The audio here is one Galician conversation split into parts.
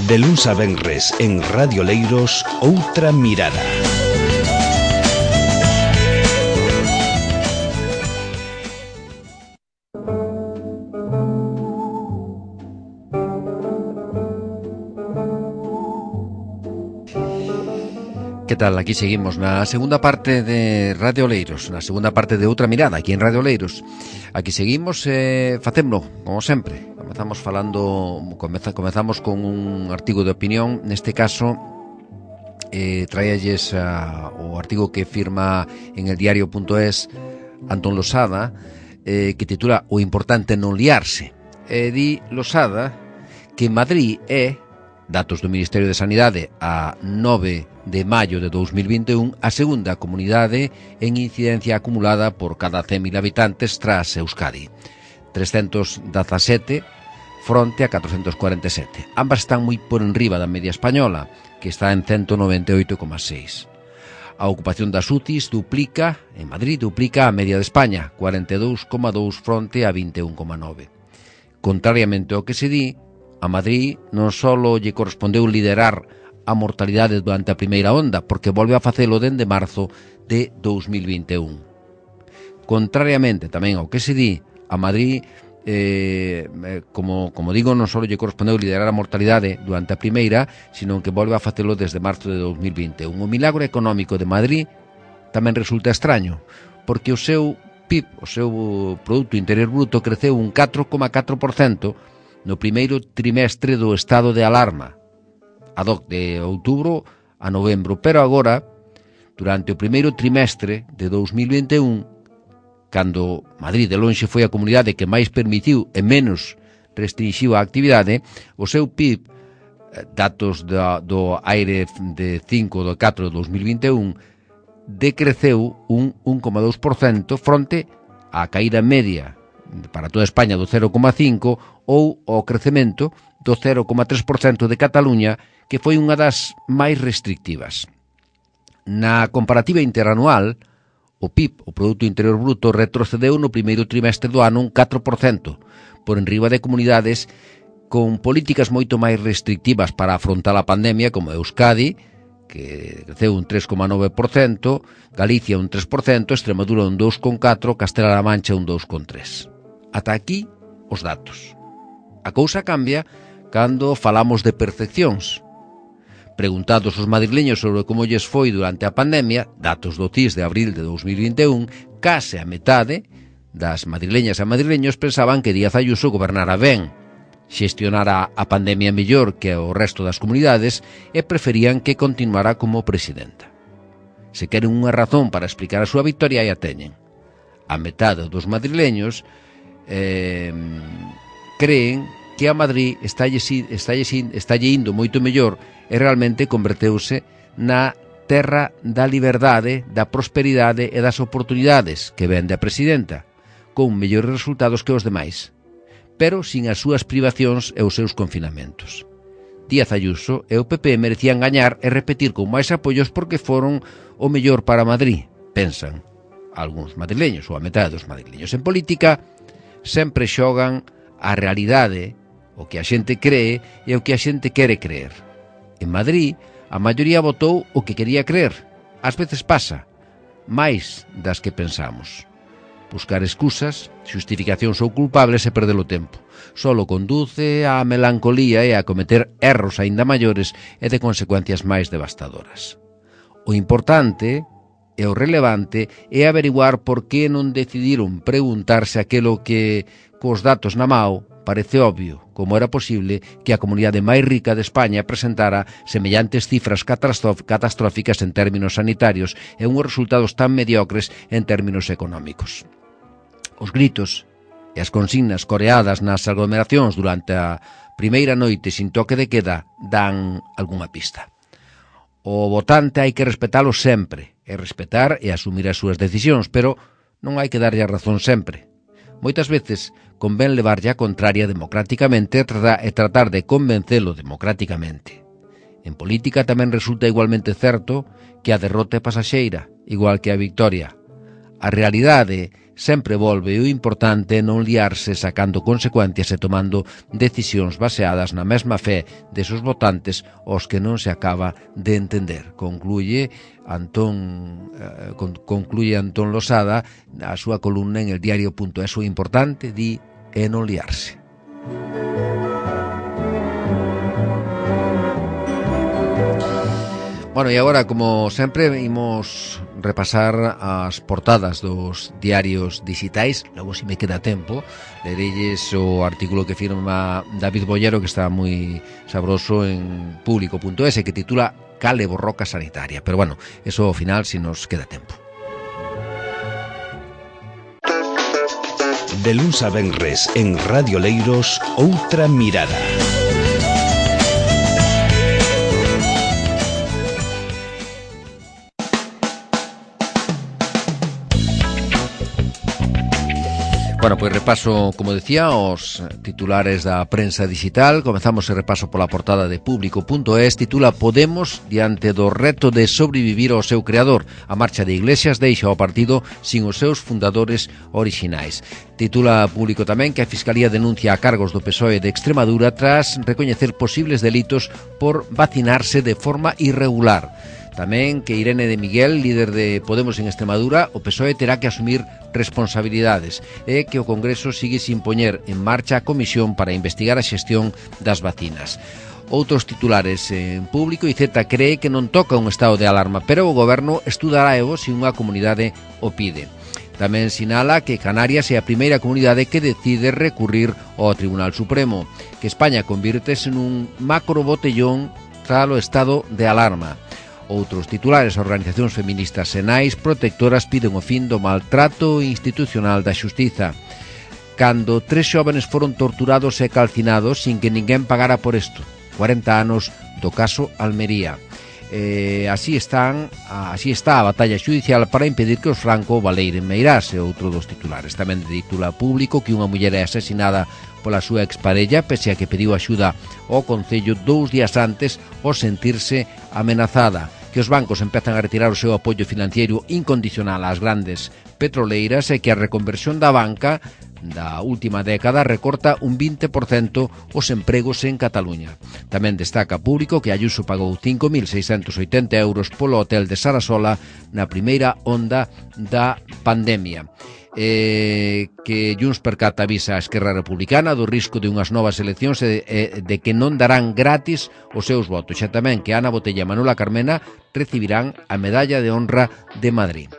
De luns a venres en Radio Leiros, Outra Mirada. Que tal? Aquí seguimos na segunda parte de Radio Leiros, na segunda parte de Outra Mirada, aquí en Radio Leiros. Aquí seguimos, facémolo, como sempre. Comezamos con un artigo de opinión, neste caso traíalles o artigo que firma en el diario.es Antón Losada, que titula O importante non liarse. Di Losada que Madrid é, datos do Ministerio de Sanidade a 9 de maio de 2021, a segunda comunidade en incidencia acumulada por cada 100.000 habitantes tras Euskadi. 317 fronte a 447. Ambas están moi por enriba da media española, que está en 198,6. A ocupación das UCIs en Madrid duplica a media de España, 42,2 fronte a 21,9. Contrariamente ao que se di, a Madrid non só lle correspondeu liderar a mortalidade durante a primeira onda, porque volve a facelo dende marzo de 2021. Contrariamente tamén ao que se di, a Madrid, como digo, non só lle correspondeu liderar a mortalidade durante a primeira, sino que volve a facelo desde marzo de 2021. O milagro económico de Madrid tamén resulta extraño, porque o seu PIB, o seu Produto Interior Bruto, creceu un 4,4% no primeiro trimestre do estado de alarma, de outubro a novembro, pero agora, durante o primeiro trimestre de 2021, cando Madrid de lonxe foi a comunidade que máis permitiu e menos restringiu a actividade, o seu PIB, datos do aire de 5 do 4 de 2021, decreceu un 1,2% fronte á caída media para toda España do 0,5% ou ao crecemento do 0,3% de Cataluña, que foi unha das máis restrictivas. Na comparativa interanual, o PIB, o Produto Interior Bruto, retrocedeu no primeiro trimestre do ano un 4%, por enriba de comunidades con políticas moito máis restrictivas para afrontar a pandemia, como Euskadi, que creceu un 3,9%, Galicia un 3%, Extremadura un 2,4%, Castela-La Mancha un 2,3%. Ata aquí os datos. A cousa cambia cando falamos de percepcións. Preguntados os madrileños sobre como lles foi durante a pandemia, datos do CIS de abril de 2021, case a metade das madrileñas e madrileños pensaban que Díaz Ayuso gobernara ben, xestionara a pandemia mellor que o resto das comunidades e preferían que continuara como presidenta. Se queren unha razón para explicar a súa victoria, aí a teñen. A metade dos madrileños creen que a Madrid estalle indo moito mellor e realmente converteuse na terra da liberdade, da prosperidade e das oportunidades que vende a presidenta, con mellores resultados que os demais, pero sin as súas privacións e os seus confinamentos. Díaz Ayuso e o PP merecían gañar e repetir con máis apoios porque foron o mellor para Madrid, pensan algúns madrileños, ou a metade dos madrileños. En política sempre xogan a realidade, o que a xente cree e o que a xente quere creer. En Madrid, a maioría votou o que quería creer. Ás veces pasa, máis das que pensamos. Buscar excusas, xustificacións ou culpables e perder o tempo. Solo conduce á melancolía e a cometer erros aínda maiores e de consecuencias máis devastadoras. O importante e o relevante é averiguar por que non decidiron preguntarse aquilo que, cos datos na mao, parece obvio, como era posible que a comunidade máis rica de España presentara semellantes cifras catastróficas en términos sanitarios e uns resultados tan mediocres en términos económicos. Os gritos e as consignas coreadas nas aglomeracións durante a primeira noite sin toque de queda dan algunha pista. O votante hai que respetalo sempre, e respetar e asumir as súas decisións, pero non hai que darlle a razón sempre. Moitas veces convén levarlle a contraria democráticamente e tratar de convencelo democráticamente. En política tamén resulta igualmente certo que a derrota é pasaxeira, igual que a victoria. A realidade sempre volve o importante é non liarse sacando consecuencias e tomando decisións baseadas na mesma fe desos votantes aos que non se acaba de entender. Concluye Antón Losada a súa columna en el diario.es. O importante, di, é non liarse. Bueno, e agora, como sempre, imos repasar as portadas dos diarios digitais. Logo, se me queda tempo, lerelles o artículo que firma David Bollero, que está moi sabroso en público.es, que titula Cale borroca sanitaria. Pero bueno, eso ao final, se nos queda tempo. De luns a venres en Radio Leiros, Outra Mirada. Bueno, pois repaso, como decía, os titulares da prensa digital. Comezamos o repaso pola portada de público.es. Titula Podemos diante do reto de sobrevivir ao seu creador. A marcha de Iglesias deixa o partido sin os seus fundadores orixinais. Titula Público tamén que a Fiscalía denuncia a cargos do PSOE de Extremadura tras recoñecer posibles delitos por vacinarse de forma irregular. Tamén que Irene de Miguel, líder de Podemos en Extremadura, o PSOE terá que asumir responsabilidades e que o Congreso sigue sin poñer en marcha a comisión para investigar a xestión das vacinas. Outros titulares en Público. IZ cree que non toca un estado de alarma, pero o Goberno estudará se unha comunidade o pide. Tamén sinala que Canarias é a primeira comunidade que decide recurrir ao Tribunal Supremo, que España convírtese nun macro botellón tras o estado de alarma. Outros titulares, organizacións feministas e nais protectoras piden o fin do maltrato institucional da xustiza. Cando 3 xóvenes foron torturados e calcinados sin que ninguén pagara por isto. 40 anos do caso Almería. Así está a batalla xudicial para impedir que os Franco valeiren Meirás, é outro dos titulares. Tamén titula Público que unha muller é asesinada pola súa exparella pese a que pediu axuda ao Concello 2 días antes ao sentirse amenazada. Que os bancos empezan a retirar o seu apoio financiero incondicional ás grandes petroleiras e que a reconversión da banca da última década recorta un 20% os empregos en Cataluña. Tamén destaca Público que Ayuso pagou 5.680 euros polo hotel de Sarasola na primeira onda da pandemia. Que Junts per Cat avisa a Esquerra Republicana do risco de unhas novas eleccións e de que non darán gratis os seus votos. Xa tamén que Ana Botella e Manuela Carmena recibirán a Medalla de Honra de Madrid.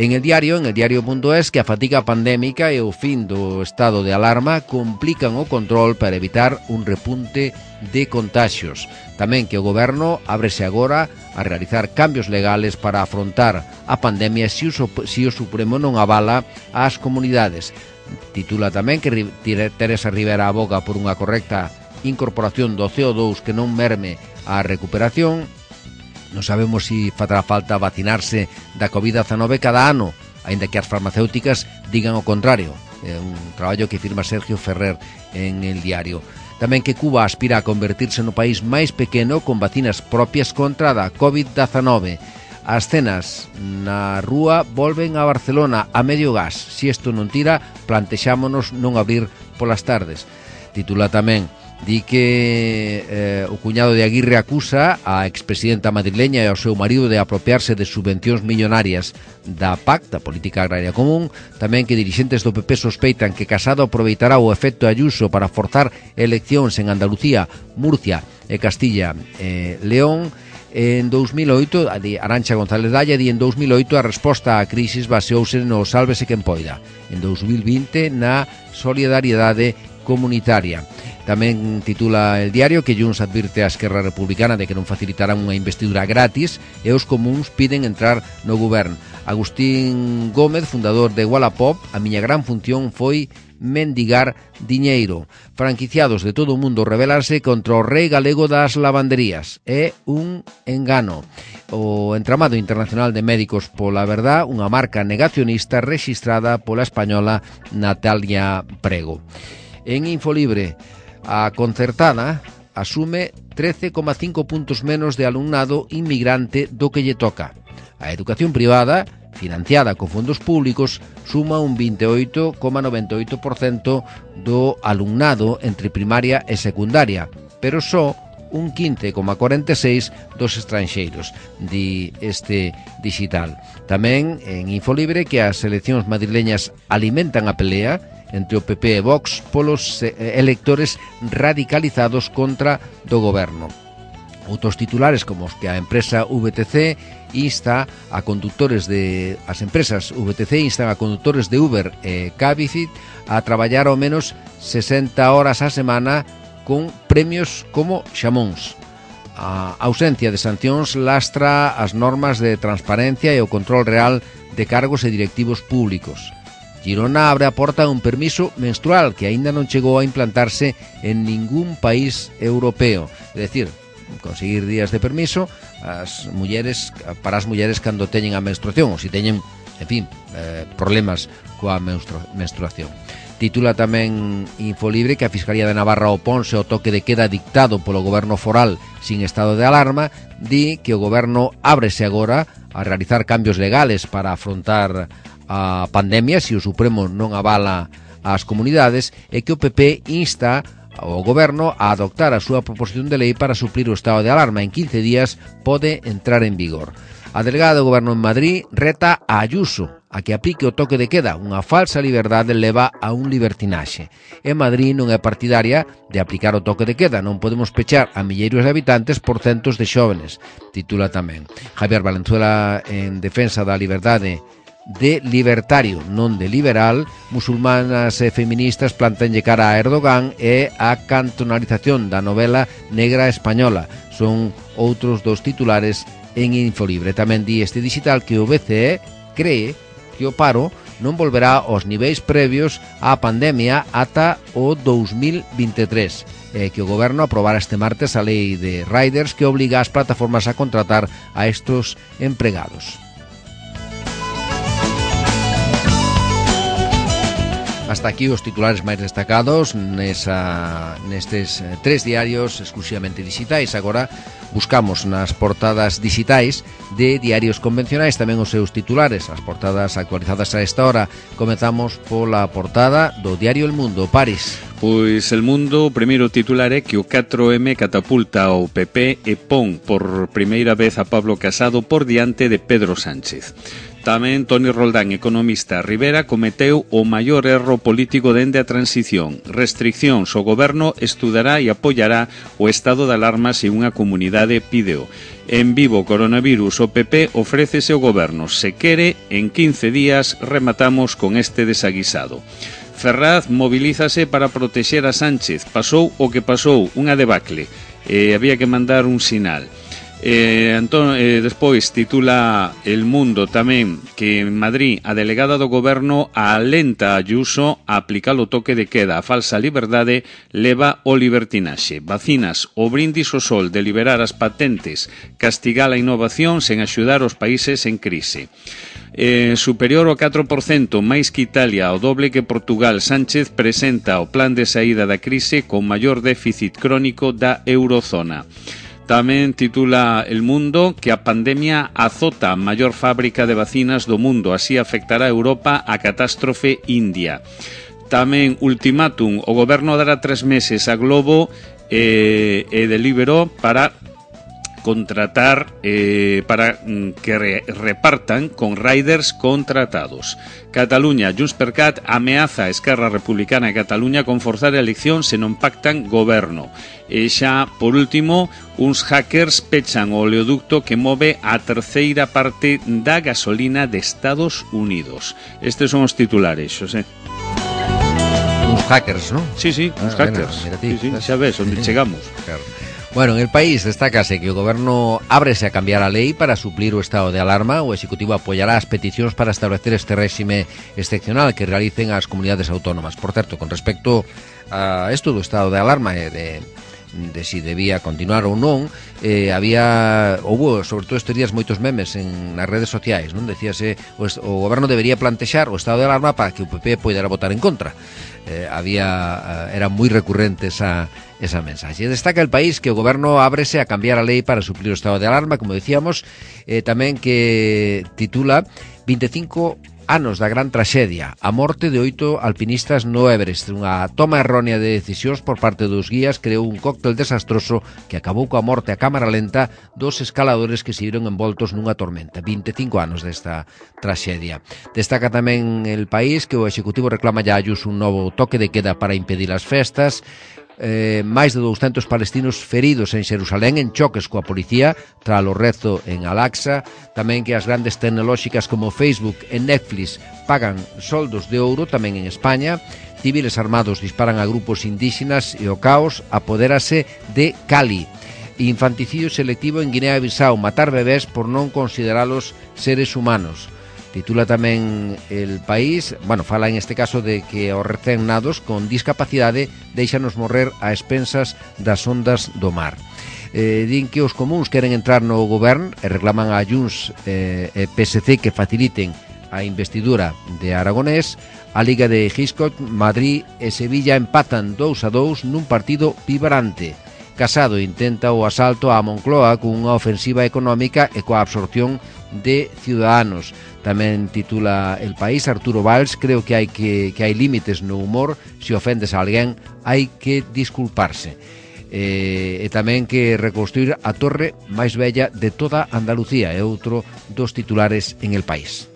En el diario.es, que a fatiga pandémica e o fin do estado de alarma complican o control para evitar un repunte de contagios. Tamén que o Goberno ábrese agora a realizar cambios legales para afrontar a pandemia se o Supremo non avala ás comunidades. Titula tamén que Teresa Rivera aboga por unha correcta incorporación do CO2 que non merme a recuperación. Non sabemos se fará falta vacinarse da COVID-19 cada ano, aínda que as farmacéuticas digan o contrario. É un traballo que firma Sergio Ferrer en el diario. Tamén que Cuba aspira a convertirse no país máis pequeno con vacinas propias contra a COVID-19. As cenas na rúa volven a Barcelona a medio gas. Se isto non tira, plantexámonos non abrir polas tardes. Titula tamén di que o cuñado de Aguirre acusa a expresidenta madrileña e ao seu marido de apropiarse de subvencións millonarias da PAC, da Política Agraria Común. Tamén que dirixentes do PP sospeitan que Casado aproveitará o efecto Ayuso para forzar eleccións en Andalucía, Murcia e Castilla e León. En 2008, Arantxa González Dalla di en 2008 a resposta á crisis baseouse no sálvese quen poida. En 2020 na solidariedade comunitaria. Tamén titula el diario que Junts advirte a Esquerra Republicana de que non facilitarán unha investidura gratis e os comuns piden entrar no goberno. Agustín Gómez, fundador de Wallapop, a miña gran función foi mendigar diñeiro. Franquiciados de todo o mundo rebelarse contra o rei galego das lavanderías. É un engano. O entramado internacional de médicos pola verdad, unha marca negacionista rexistrada pola española Natalia Prego. En Infolibre, a concertada asume 13,5 puntos menos de alumnado inmigrante do que lle toca. A educación privada financiada con fondos públicos, suma un 28,98% do alumnado entre primaria e secundaria, pero só un 15,46% dos estranxeiros, di este digital. Tamén en Infolibre que as eleccións madrileñas alimentan a pelea entre o PP e Vox polos electores radicalizados contra do goberno. Outros titulares como os que a empresa VTC insta a conductores de as empresas VTC instan a conductores de Uber e Cabify a traballar ao menos 60 horas á semana con premios como xamóns. A ausencia de sancións lastra as normas de transparencia e o control real de cargos e directivos públicos. Girona abre a porta a un permiso menstrual que aínda non chegou a implantarse en ningún país europeo. É dicir, conseguir días de permiso para as mulleres cando teñen a menstruación ou se teñen, en fin, problemas coa menstruación. Titula tamén Infolibre que a Fiscalía de Navarra oponse ao toque de queda dictado polo goberno foral sin estado de alarma, di que o goberno ábrese agora a realizar cambios legales para afrontar a pandemia se o Supremo non avala as comunidades e que o PP insta ao goberno a adoptar a súa proposición de lei para suplir o estado de alarma. En 15 días pode entrar en vigor. A delegada do goberno en Madrid reta a Ayuso a que aplique o toque de queda. Unha falsa liberdade leva a un libertinaxe. En Madrid non é partidaria de aplicar o toque de queda. Non podemos pechar a milleiros de habitantes por centos de xóvenes, titula tamén. Javier Valenzuela, en defensa da liberdade de libertario, non de liberal, musulmanas e feministas plantanlle cara a Erdogan e a cantonalización da novela negra española. Son outros dos titulares en Infolibre. Tamén di este digital que o BCE cree que o paro non volverá aos niveis previos á pandemia ata o 2023 e que o goberno aprobara este martes a lei de riders que obliga as plataformas a contratar a estos empregados. Hasta aquí os titulares máis destacados nestes 3 diarios exclusivamente digitais. Agora buscamos nas portadas digitais de diarios convencionais tamén os seus titulares, as portadas actualizadas a esta hora. Comezamos pola portada do diario El Mundo. Paris. Pois El Mundo, o primeiro titular é que o 4M catapulta ao PP e pon por primeira vez a Pablo Casado por diante de Pedro Sánchez. Tamén Toni Roldán, economista. Rivera cometeu o maior erro político dende a transición. Restriccións. O goberno estudará e apoiará o estado de alarma se unha comunidade pídeo. En Vivo coronavirus, o PP ofrécese ao goberno. Se quere, en 15 días rematamos con este desaguisado. Ferraz mobilízase para protexer a Sánchez. Pasou o que pasou, unha debacle. Había que mandar un sinal. Despois titula El Mundo tamén que en Madrid a delegada do goberno alenta a Ayuso a aplicar o toque de queda. A falsa liberdade leva o libertinaxe. Vacinas, o brindis ao sol de liberar as patentes, castigar a innovación sen axudar os países en crise. Superior ao 4%, máis que Italia, o doble que Portugal. Sánchez presenta o plan de saída da crise con maior déficit crónico da eurozona. Tamén titula El Mundo que a pandemia azota a maior fábrica de vacinas do mundo, así afectará a Europa a catástrofe India. Tamén ultimátum, o goberno dará 3 meses a Globo e Deliveroo para contratar para que repartan con riders contratados. Cataluña, Junts per Cat ameaza a Esquerra Republicana de Cataluña con forzar a elección se non pactan goberno. E xa, por último, uns hackers pechan o oleoducto que move a terceira parte da gasolina de Estados Unidos. Estes son os titulares, Xosé. Uns hackers, non? Sí, uns hackers. Mira ti, sí, xa ves, onde chegamos. Claro. Bueno, en el país destácase que o goberno ábrese a cambiar a lei para suplir o estado de alarma. O Executivo apoiará as peticións para establecer este réxime excepcional que realicen as comunidades autónomas. Por certo, con respecto a isto do estado de alarma e de si debía continuar ou non, houve, sobre todo estes días, moitos memes nas redes sociais, non? Decíase, o goberno debería plantexar o estado de alarma para que o PP poidera votar en contra. Era moi recurrente esa mensaxe. Destaca El País que o goberno ábrese a cambiar a lei para suplir o estado de alarma, como decíamos, tamén que titula 25 anos da gran traxedia, a morte de 8 alpinistas no Everest. Unha toma errónea de decisións por parte dos guías creou un cóctel desastroso que acabou coa morte a cámara lenta dos escaladores que se viron envoltos nunha tormenta. 25 anos desta traxedia. Destaca tamén El País que o Executivo reclama a Ayuso un novo toque de queda para impedir as festas. Máis de 200 palestinos feridos en Xerusalén en choques coa policía tras o rezo en Al-Aqsa. Tamén que as grandes tecnolóxicas como Facebook e Netflix pagan soldos de ouro tamén en España. Civiles armados disparan a grupos indígenas e o caos apodérase de Cali. Infanticidio selectivo en Guinea-Bissau, matar bebés por non consideralos seres humanos. Titula tamén El País, fala en este caso de que os recén nados con discapacidade deixanos morrer a expensas das ondas do mar. Din que os comuns queren entrar no goberno e reclaman a Junts e PSC que faciliten a investidura de Aragonés. A Liga de Hitchcock, Madrid e Sevilla empatan 2-2 nun partido vibrante. Casado intenta o asalto a Moncloa cunha ofensiva económica e coa absorción de Ciudadanos. Tamén titula El País, Arturo Valls, creo que hai límites no humor, se ofendes a alguén hai que disculparse. E tamén que reconstruir a torre máis bella de toda Andalucía é outro dos titulares en El País.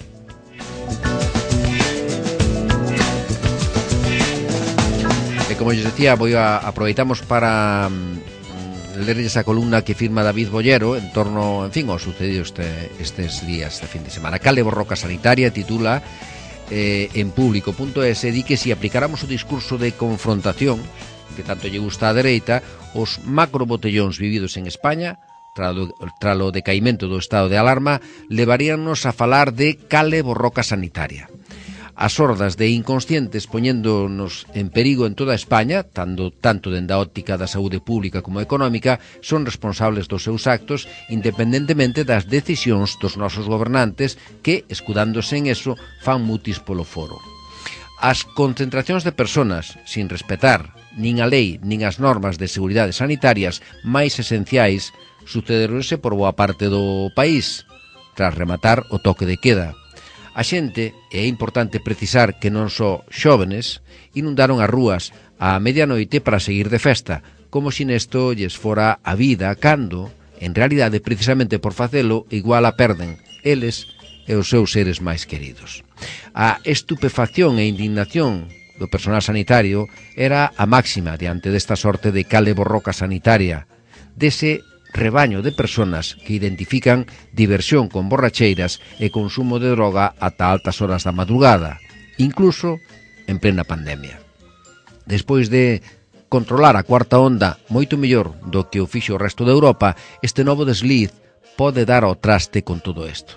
E como lles decía, aproveitamos para ler esa columna que firma David Bollero en torno, ao sucedido estes días, este fin de semana. Cale borroca sanitaria, titula en público.es, di que si aplicáramos o discurso de confrontación que tanto lle gusta a dereita, os macrobotellóns vividos en España tras o decaimento do estado de alarma levaríannos a falar de cale borroca sanitaria. As hordas de inconscientes poñéndonos en perigo en toda España, tanto dende a óptica da saúde pública como económica, son responsables dos seus actos, independentemente das decisións dos nosos gobernantes que, escudándose en eso, fan mutis polo foro. As concentracións de personas, sin respetar nin a lei nin as normas de seguridade sanitarias máis esenciais, sucederonse por boa parte do país, tras rematar o toque de queda. A xente, e é importante precisar que non só xóvenes, inundaron as rúas á medianoite para seguir de festa, como se nesto lles fora a vida cando, en realidade, precisamente por facelo, igual a perden eles e os seus seres máis queridos. A estupefacción e indignación do personal sanitario era a máxima diante desta sorte de cale borroca sanitaria, dese rebaño de personas que identifican diversión con borracheiras e consumo de droga ata altas horas da madrugada, incluso en plena pandemia. Despois de controlar a cuarta onda moito mellor do que o fixo o resto de Europa, este novo desliz pode dar ao traste con todo isto.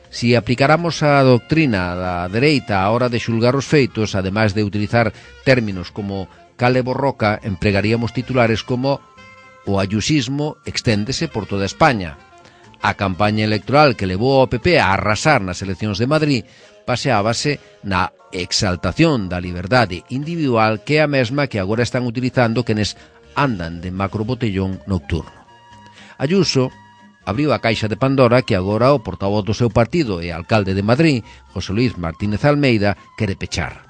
Si aplicáramos a doctrina da dereita á hora de xulgar os feitos, ademais de utilizar términos como cale borroca, empregaríamos titulares como o ayusismo exténdese por toda España. A campaña electoral que levou ao PP a arrasar nas eleccións de Madrid baseábase na exaltación da liberdade individual que é a mesma que agora están utilizando quenes andan de macrobotellón nocturno. Ayuso abriu a caixa de Pandora que agora o portavoz do seu partido e alcalde de Madrid, José Luis Martínez Almeida, quere pechar.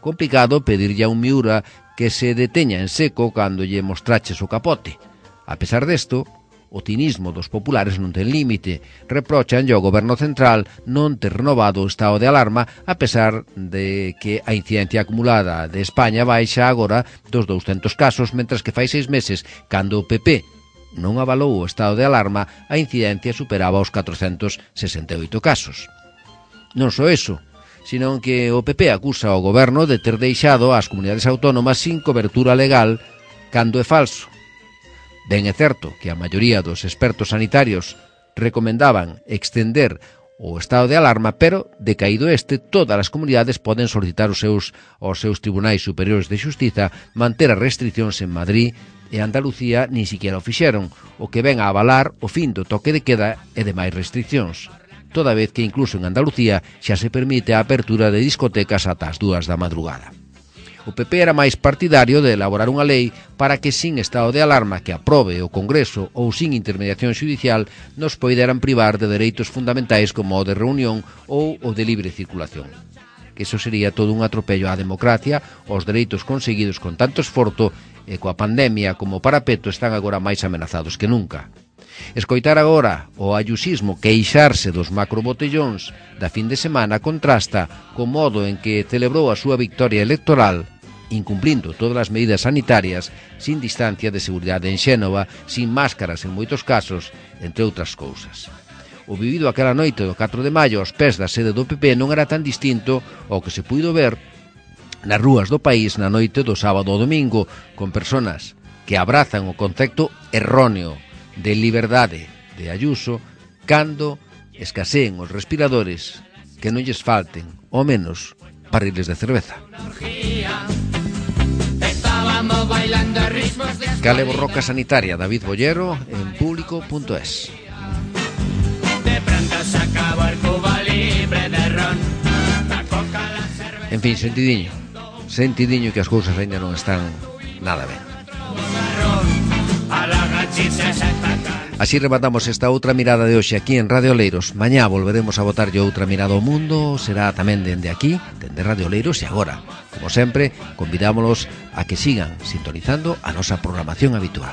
Complicado pedirlle a un Miura que se deteña en seco cando lle mostraches o capote. A pesar desto, o cinismo dos populares non ten límite. Reprochanlle ao goberno central non ter renovado o estado de alarma a pesar de que a incidencia acumulada de España baixa agora dos 200 casos, mentras que fai 6 meses, cando o PP non avalou o estado de alarma, a incidencia superaba os 468 casos. Non só eso, sino que o PP acusa ao goberno de ter deixado as comunidades autónomas sin cobertura legal cando é falso. Ben é certo que a maioría dos expertos sanitarios recomendaban extender o estado de alarma, pero, decaído este, todas as comunidades poden solicitar aos seus tribunais superiores de xustiza manter as restriccións en Madrid e Andalucía nin siquiera o fixeron, o que ven a avalar o fin do toque de queda e demais restriccións, toda vez que incluso en Andalucía xa se permite a apertura de discotecas ata as 2 da madrugada. O PP era máis partidario de elaborar unha lei para que sin estado de alarma que aprobe o Congreso ou sin intermediación xudicial nos poideran privar de dereitos fundamentais como o de reunión ou o de libre circulación. Que iso sería todo un atropello á democracia, aos dereitos conseguidos con tanto esforzo e coa pandemia como parapeto están agora máis amenazados que nunca. Escoitar agora o ayusismo queixarse dos macrobotellóns da fin de semana contrasta co modo en que celebrou a súa victoria electoral, incumplindo todas as medidas sanitarias, sin distancia de seguridade en Xénova, sin máscaras en moitos casos, entre outras cousas. O vivido aquela noite do 4 de maio aos pés da sede do PP non era tan distinto ao que se puido ver nas rúas do país na noite do sábado ao domingo, con personas que abrazan o concepto erróneo de liberdade de Ayuso cando escaseen os respiradores, que non lles falten, ao menos, barriles de cerveza. Cale borroca sanitaria, David Bollero, en público.es. En fin, sentidiño que as cousas ainda non están nada ben. Así rematamos esta outra mirada de hoxe aquí en Radio Oleiros. Mañá volveremos a botarlle outra mirada ao mundo. Será tamén dende aquí, dende Radio Oleiros. E agora, como sempre, convidámolos a que sigan sintonizando a nosa programación habitual.